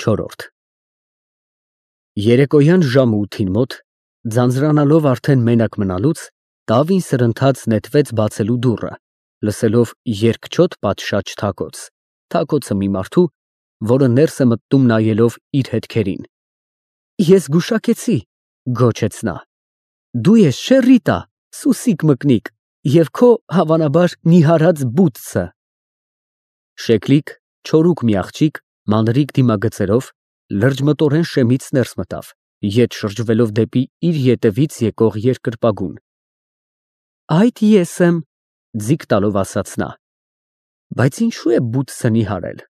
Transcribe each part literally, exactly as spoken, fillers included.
Չորրորդ Երեկոյան ժամը ութին մոտ, ձանձրանալով արդեն մենակ մնալուց, Դավին սրընթաց նետվեց բացելու դուռը, լսելով երկչոտ պատշաճ թակոց, թակոցը մի մարդու, որը ներս է մտնում նայելով իր հետքերին։ Ես գուշակեցի, գոչեց նա, դու ես չէ Ռիտա, սուսիկ մկնիկ, և քո հավանաբար նիհարած բուծը։ Շեկլիկ, չորուկ մի աղջիկ, մանրիկ դիմագծերով, լրջմտորեն շեմից ներս մտավ, ետ շրջվելով դեպի իր ետևից եկող երկրպագուն։ Այդ ես եմ, ձիգ տալով ասաց նա, բայց ինչու է բուծը նիհարել։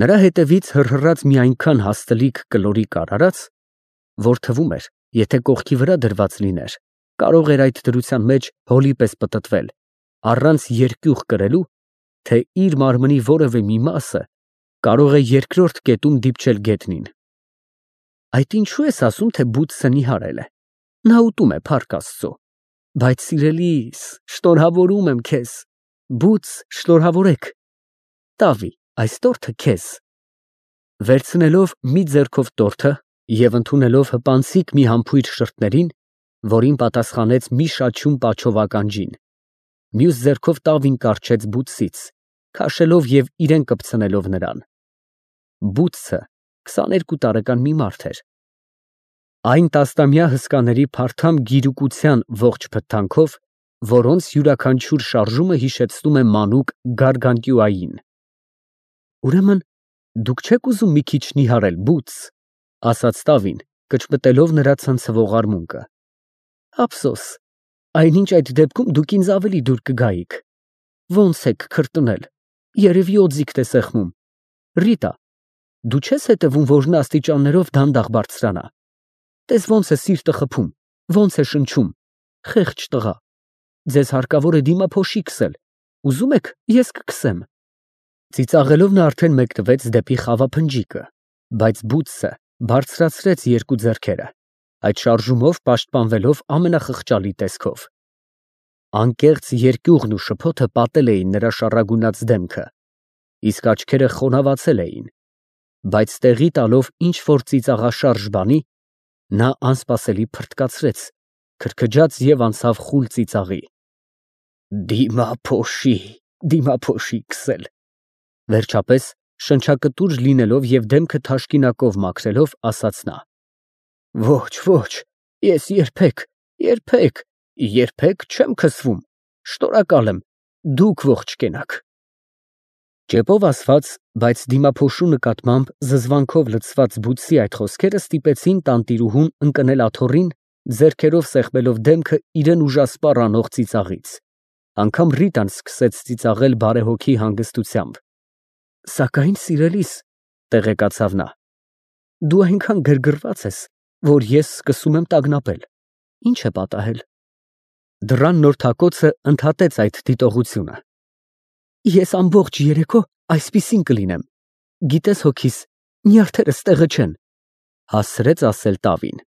Նրա հետևից հռհռաց մի այնքան հաստլիկ կլորիկ արարած, որ թվում էր, եթե կողքի վրա դրված լիներ, կարող էր այդ դրության մեջ հոլի պես պտտվել, առանց երկյուղ կրելու, թե իր մարմնի որևէ մի մասը կարող է երկրորդ կետում դիպչել գետնին։ Այդ ինչու ես ասում, թե բուծը նիհարել է, նա ուտում է, փառք Աստծո, բայց սիրելիս, շնորհավորում եմ քեզ, բուծ շնորհավորեք, տավի, այս տորթը քեզ։ Վերցնելով մի ձեռքով տորթը և ընդունելով հպանցիկ մի համբույր շրթներին, որին պատասխանեց մի շաչյուն պաչովական ջին, մյուս ձեռքով տավին կառչեց բուծից, քաշելով և իրեն կպցնելով նրան։ Բուծը քսաներկու տարեկան մի մարդ էր։ Այն տասնամյա հսկաների փարթամ գիրուկության ողջ փթթանքով, որոնց յուրաքանչյուր շարժումը հիշեցնում է մանուկ գարգանտյուային։ Ուրեմն դուք չեք ուզում մի քիչ նիհարել, բուծ, ասաց տավին, կճմտելով նրա ցնցվող արմունկը։ Ափսոս, այնինչ այդ դեպքում դուք ինձ ավելի դուր կգայիք։ Ոնց եք քրտնել, երևի օձիքդ է սեղմում։ Ռիտա, դու չես հետևում, որ նա աստիճաններով դանդաղ բարձրանա։ Տես ոնց է սիրտը խփում, ոնց է շնչում, խեղճ տղա, ձեզ հարկավոր է դիմափոշի քսել, ուզում եք, ես կքսեմ։ Ծիծաղելով նա արդեն մեկնվեց դեպի խավափնջիկը, բայց բուծը բարձրացրեց երկու ձեռքերը, այդ շարժումով պաշտպանվելով ամենախղճալի տեսքով։ Անկեղծ երկյուղն ու շփոթը պատել էին նրա շառագունած դեմքը, իսկ աչքերը խոնավացել էին, բայց տեղի տալով ինչ-որ ծիծաղաշարժ բանի, նա անսպասելի փռթկացրեց, քրքջաց և անցավ խուլ ծիծաղի։ Դիմափոշի, դիմափոշի քսել։ Վերջապես, շնչակտուր լինելով և դեմքը թաշկինակով մաքրելով, ասաց նա. Ոչ, ոչ, ես երբեք, երբեք, երբեք չեմ քսվում, շնորհակալ եմ, դուք ողջ կենաք։ Ճեպով ասված, բայց դիմափոշու նկատմամբ զզվանքով լցված բուծի այդ խոսքերը ստիպեցին տանտիրուհուն ընկնել աթոռին, ձեռքերով սեղմելով դեմքը իրեն ուժասպառ անող ծիծաղից։ Անգամ Ռիտան սկսեց ծիծաղել բարեհոգի հանգստությամբ։ Սակայն, սիրելիս, տեղեկացավ նա, դու այնքան գրգռված ես, որ ես սկսում եմ տագնապել, ինչ է պատահել։ Դռան նոր թակոցը ընդհատեց այդ դիտողությունը։ Ես ամբողջ երեկո այսպիսին կլինեմ, գիտես հոգիս, նյարդերս տեղը չեն, հասցրեց ասել տավին։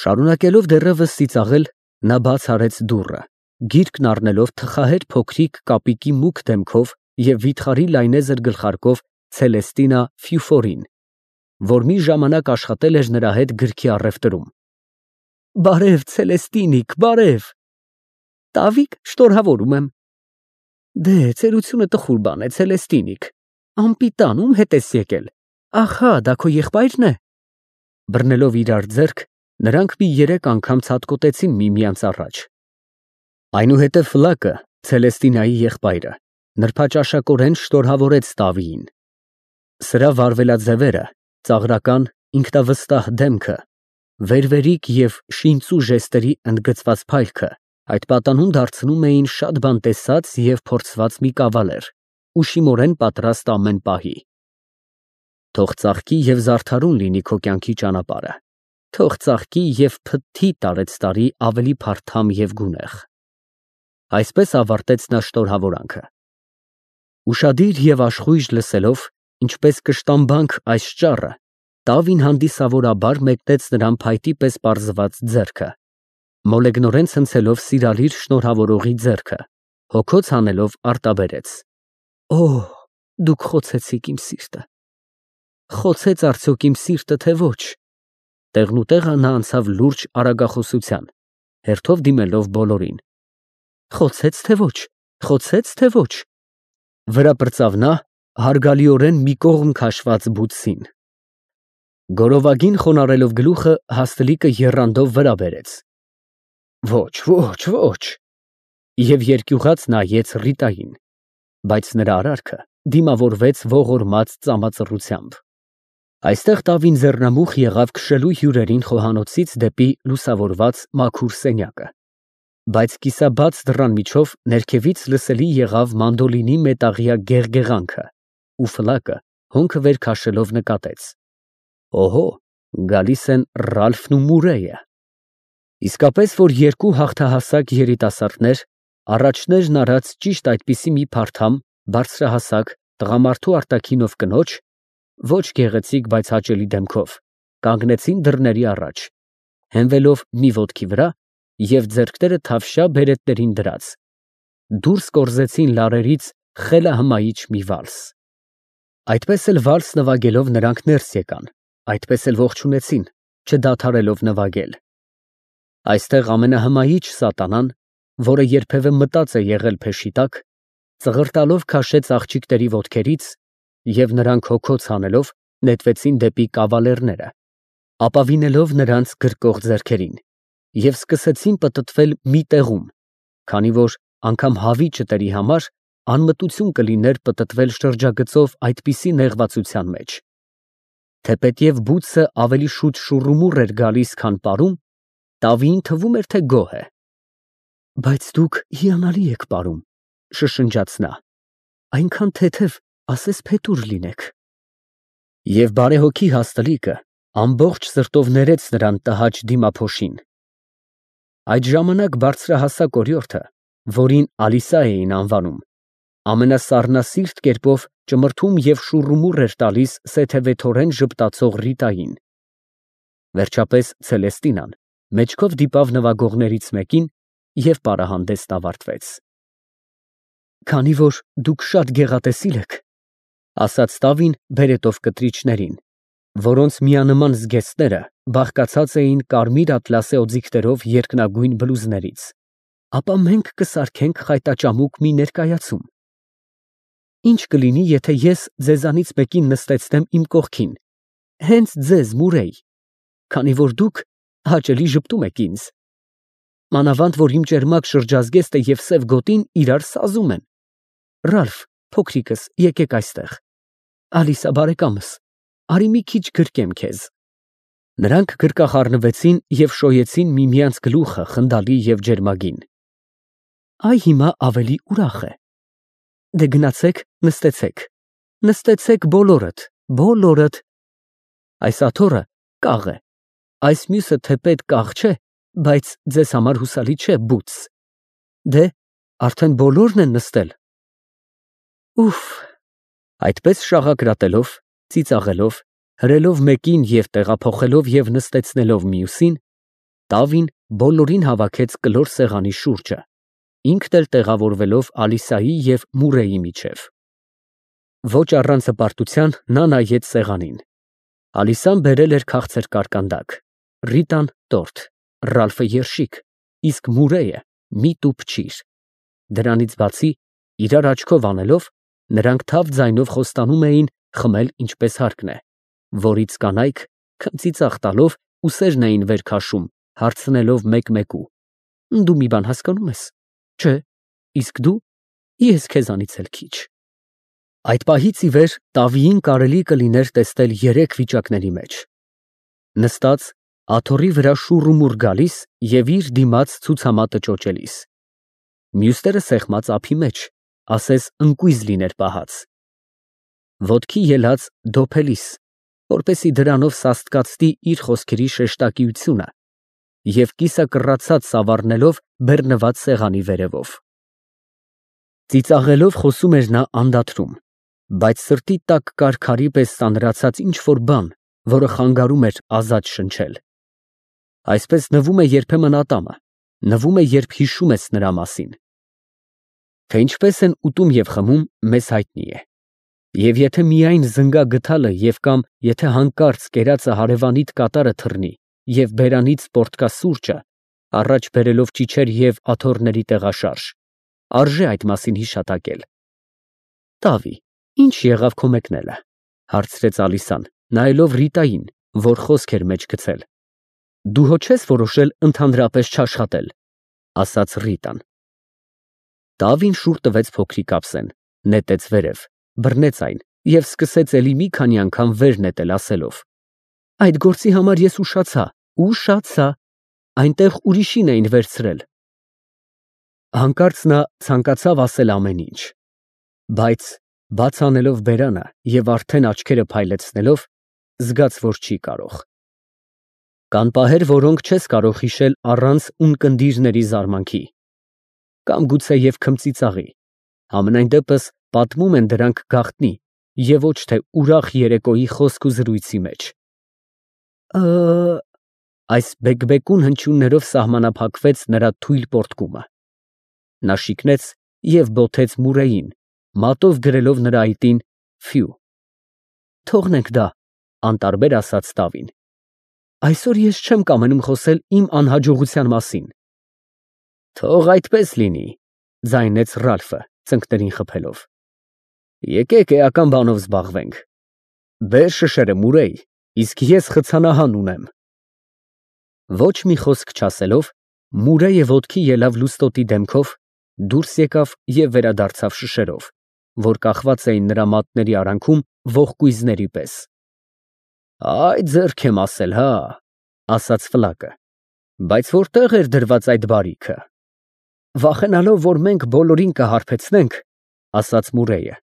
Շարունակելով դեռևս ծիծաղել, նա բաց արեց դուռը, գիրկն առնելով թխահեր փոքրիկ կապիկի մուգ դեմքով և վիթխարի լայնեզր գլխարկով Ցելեստինա Ֆյուֆորին, որ մի ժամանակ աշխատել էր նրա հետ գրքի առևտրում։ Բարև, Ցելեստինիկ, բարև։ Տավիկ, շնորհավորում եմ։ Դե, ծերությունը տխուր բան է, Ցելեստինիկ, անպիտան, ում հետ ես եկել, ախա, դա քո եղբայրն է։ Բռնելով իրար ձեռք, նրանք մի երեք անգամ ցատկոտեցին միմյանց առաջ։ Այնուհետև Ֆլակը, Ցելեստինայի եղբայրը, նրբաճաշակորեն շնորհավորեց տավիին։ Սրա վարվելաձևերը, ծաղրական, ինքնավստահ դեմքը, վերվերիկ և շինծու ժեստերի ընդգծված փայլքը այդ պատանուն դարձնում էին շատ բան տեսած և փորձված մի կավալեր, ուշիմորեն պատրաստ ամեն պահի։ Թող ծաղկի և զարդարուն լինի քո կյանքի ճանապարհը, թող ծաղկի և փթթի տարեցտարի ավելի փարթամ և գունեղ։ Այսպես ավարտեց նա շնորհավորանքը։ Ուշադիր և աշխույժ լսելով, ինչպես կշտամբանք այս ճառը, տավին հանդիսավորաբար մեկնեց նրան փայտի պես պարզված ձեռքը, մոլեգնորեն ցնցելով սիրալիր շնորհավորողի ձեռքը, հոգոց հանելով արտաբերեց. Օհ, դուք խոցեցիք իմ սիրտը։ խոցեց արդյոք իմ սիրտը, թե ոչ։ Տեղնուտեղը նա անցավ լուրջ արագախոսության, հերթով դիմելով բոլորին։ Խոցեց, թե ոչ, խոցեց, թե ոչ։ Վրա պրծավ նա, հարգալիորեն մի կողմ քաշված բութսին։ Գորովագին խոնարհելով գլուխը հաստլիկը եռանդով վրա բերեց։ Ոչ, ոչ, ոչ։ Եվ երկյուղած նայեց Ռիտային, բայց նրա արարքը դիմավորվեց ողորմած ծամածռությամբ։ Այստեղ տավին ձեռնամուխ եղավ քշելու հյուրերին խոհանոցից դեպի լուսավորված մաքուր սենյակը, բայց կիսաբաց դռան միջով ներքևից լսելի եղավ մանդոլինի մետաղյա գեղգեղանքը, ու ֆլակը հոնքը վեր քաշելով նկատեց. Օհո, գալիս են Ռալֆն ու Մուրեյը։ Իսկապես, որ երկու հաղթահասակ երիտասարդներ, առաջներն արած ճիշտ այդպիսի մի փարթամ, բարձրահասակ, տղամարդու արտաքինով կնոջ, ոչ գեղեցիկ, բայց հաճելի դեմքով, կանգնեցին դռների առաջ, հենվելով մի ոտքի վրա և ձեռքները թավշյա բերետներին դրած, դուրս կորզեցին լարերից խելահմայիչ մի վալս։ Այդպես էլ վալս նվագելով նրանք ներս եկան, այդպես էլ ողջունեցին, չդադարելով նվագել։ Այստեղ ամենահմայիչ սատանան, որը երբևէ մտած է եղել փեշի տակ, ծղրտալով քաշեց աղջիկների ոտքերից և նրանք հոգոց հանելով նետվեցին դեպի կավալերները, ապավինելով նրանց գրկող ձեռքերին և սկսեցին պտտվել մի տեղում, քանի որ անգամ հավիճտերի համար անմտություն կլիներ պտտվել շրջագծով այդպիսի նեղվածության մեջ։ Թեպետև բութսը ավելի շուտ շուռումուռ էր գալիս, քան պարում, տավիին թվում էր, թե գոհ է։ Բայց դուք հիանալի եք պարում, շշնջաց նա, այնքան թեթև, ասես փետուր լինեք։ Եվ բարեհոգի հաստլիկը ամբողջ սրտով ներեց նրան տհաճ դիմափոշին։ Այդ ժամանակ բարձրահասակ օրիորդը, որին Ալիսա էին անվանում, ամենասառնասիրտ կերպով ճմրթում և շուռումուռ էր տալիս սեթևեթորեն ժպտացող Ռիտային։ Վերջապես Ցելեստինան մեջքով դիպավ նվագողներից մեկին և պարահանդեսն ավարտվեց։ Քանի որ դուք շատ գեղատեսիլ եք, ասաց տավին բերետով կտրիչներին, որոնց միանման զգեստները բաղկացած էին կարմիր ատլասե օձիքներով երկնագույն բլուզներից, ապա մենք կսարքենք խայտաճամուկ մի ներկայացում։ Ինչ կլինի, եթե ես ձեզանից մեկին նստեցնեմ իմ կողքին, հենց ձեզ, Մուրեյ, քանի որ դուք հաճելի ժպտում եք ինձ։ Մանավանդ, որ իմ ճերմակ շրջազգեստը և սև գոտին իրար սազում են։ Ռալֆ, փոքրիկս, եկեք այստեղ։ Ալիսա, բարեկամս, արի մի քիչ գրկեմ քեզ։ Նրանք գրկախառնվեցին և շոյեցին միմյանց գլուխը խնդալի և ջերմագին։ Այ հիմա ավելի ուրախ է։ Դե գնացեք, նստեցեք, նստեցեք բոլորդ, բոլորդ։ Այս աթոռը կաղ է, այս մյուսը թեպետ կաղ չէ, բայց ձեզ համար հուսալի չէ, բութս։ Դե, արդեն բոլորն են նստել։ Ուֆ։ Այդպես շաղակրատելով, ծիծաղելով, հրելով մեկին և տեղափոխելով և նստեցնելով մյուսին, տավին բոլորին հավաքեց կլոր սեղանի շուրջը, ինքն էլ տեղավորվելով Ալիսայի և Մուրեյի միջև։ Ոչ առանց հպարտության նա նայեց սեղանին։ Ալիսան բերել էր քաղցր կարկանդակ, Ռիտան տորթ, Ռալֆը երշիկ, իսկ Մուրեյը մի տուփ ճիր։ Դրանից բացի, իրար աչքով անելով, նրանք թավ ձայնով խոստանում էին խմել ինչպես հարկն է, որից կանայք, քմծիծաղ տալով, ուսերն էին վեր քաշում, հարցնելով մեկ֊մեկու. Դու մի բան հասկանում ես։ Չէ, իսկ դու։ Ես քեզանից էլ քիչ։ Այդ պահից ի վեր տավիին կարելի կլիներ տեսնել երեք վիճակների մեջ. նստած, աթոռի վրա շուռումուռ գալիս և իր դիմաց ցուցամատը ճոճելիս, մյուսները սեղմած ափի մեջ, ասես ընկույզ լիներ պահած, ոտքի ելած դոփելիս, որպեսզի դրանով սաստկացնի իր խոսքերի շեշտակիությունը և կիսակռացած սավառնելով բեռնված սեղանի վերևով։ Ծիծաղելով խոսում էր նա անդադրում, բայց սրտի տակ կար քարի պես ծանրացած ինչ֊որ բան, որը խանգարում էր ազատ շնչել։ Այսպես նվում է երբեմն ատամը, նվում է, երբ հիշում ես նրա մասին։ Թե ինչպես են ուտում և խմում, մեզ հայտնի է։ Եվ եթե միայն զնգա գթալը և կամ եթե հանկարծ կերածը հարևանիդ կատարը թռնի և բերանից պոռթկա սուրճը, առաջ բերելով ճիչեր և աթոռների տեղաշարժ, արժե այդ մասին հիշատակել։ ֊ Տավի, ի՞նչ եղավ քո մեկնելը, ֊ հարցրեց Ալիսան, նայելով Ռիտային, որ խոսք էր մեջ գցել։ ֊ Դու հո չես որոշել ընդհանրապես չաշխատել, ֊ ասաց Ռիտան։ Տավին շուռ տվեց փոքրիկ ափսեն, նետեց վերև, բռնեց այն և սկսեց էլի մի քանի անգամ վեր նետել, ասելով. Այդ գործի համար ես ուշացա, ուշացա, այնտեղ ուրիշին էին վերցրել։ Հանկարծ նա ցանկացավ ասել ամեն ինչ, բայց բաց անելով բերանը և արդեն աչքերը փայլեցնելով, զգաց, որ չի կարող։ Կան պահեր, որոնք չես կարող հիշել առանց ունկնդիրների զարմանքի, կամ գուցեև քմծիծաղի, համենայն դեպս պատմում են դրանք գաղտնի և ոչ թե ուրախ երեկոյի խոսք ու զրույցի մեջ։ Ը… Այս բեկբեկուն հնչյուններով սահմանափակվեց նրա թույլ պոռթկումը։ Նա շիկնեց և բոթեց Մուրեյին, մատով գրելով նրա այտին ֆյու։ Թողնենք դա, անտարբեր ասաց Տավին։ Այսօր ես չեմ կամենում խոսել իմ անհաջողության մասին։ Թող այդպես լինի, ձայնեց Ռալֆը, ծնկներին խփելով։ Եկեք էական բանով զբաղվենք։ Բեր շշերը, Մուրեյ, իսկ ես խցանահան ունեմ։ Ոչ մի խոսք չասելով, Մուրեյը ոտքի ելավ լուստոտի դեմքով, դուրս եկավ և վերադարձավ շշերով, որ կախված էին նրա մատների արանքում ողկույզների պես։ Այ ձեռք եմ ասել, հա, ասաց Ֆլակը, բայց որտե՞ղ էր դրված այդ բարիքը։ Վախենալով, որ մենք բոլորին կհարբեցնենք, ասաց Մուրեյը,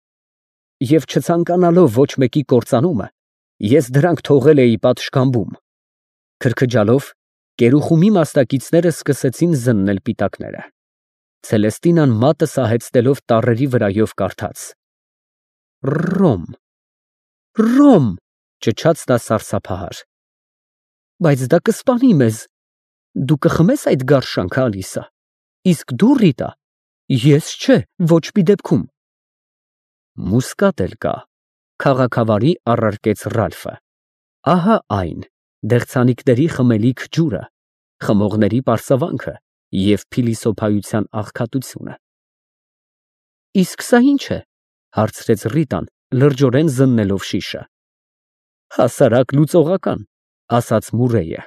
և չցանկանալով ոչ մեկի կործանումը, ես դրանք թողել էի պատշգամբում։ Քրքջալով, կերուխումի մասնակիցները սկսեցին զննել պիտակները։ Ցելեստինան մատը սահեցնելով տառերի վրայով կարդաց. Ռոմ, Ռոմ, ճչաց նա սարսափահար։ Բայց դա կսպանի մեզ։ Դու կխմես այդ գարշանքը, Ալիսա, իսկ դու, Ռիտա, ես չէ, ոչ մի դեպքում։ Մուսկատ էլ կա, քաղաքավարի առարկեց Ռալֆը։ Ահա այն, դեղցանիկների խմելիք ջուրը, խմողների պարսավանքը և փիլիսոփայության աղքատությունը։ Իսկ սա ի՞նչ է, հարցրեց Ռիտան, լրջորեն զննելով շիշը։ Հասարակ լուծողական, ասաց Մուրեյը։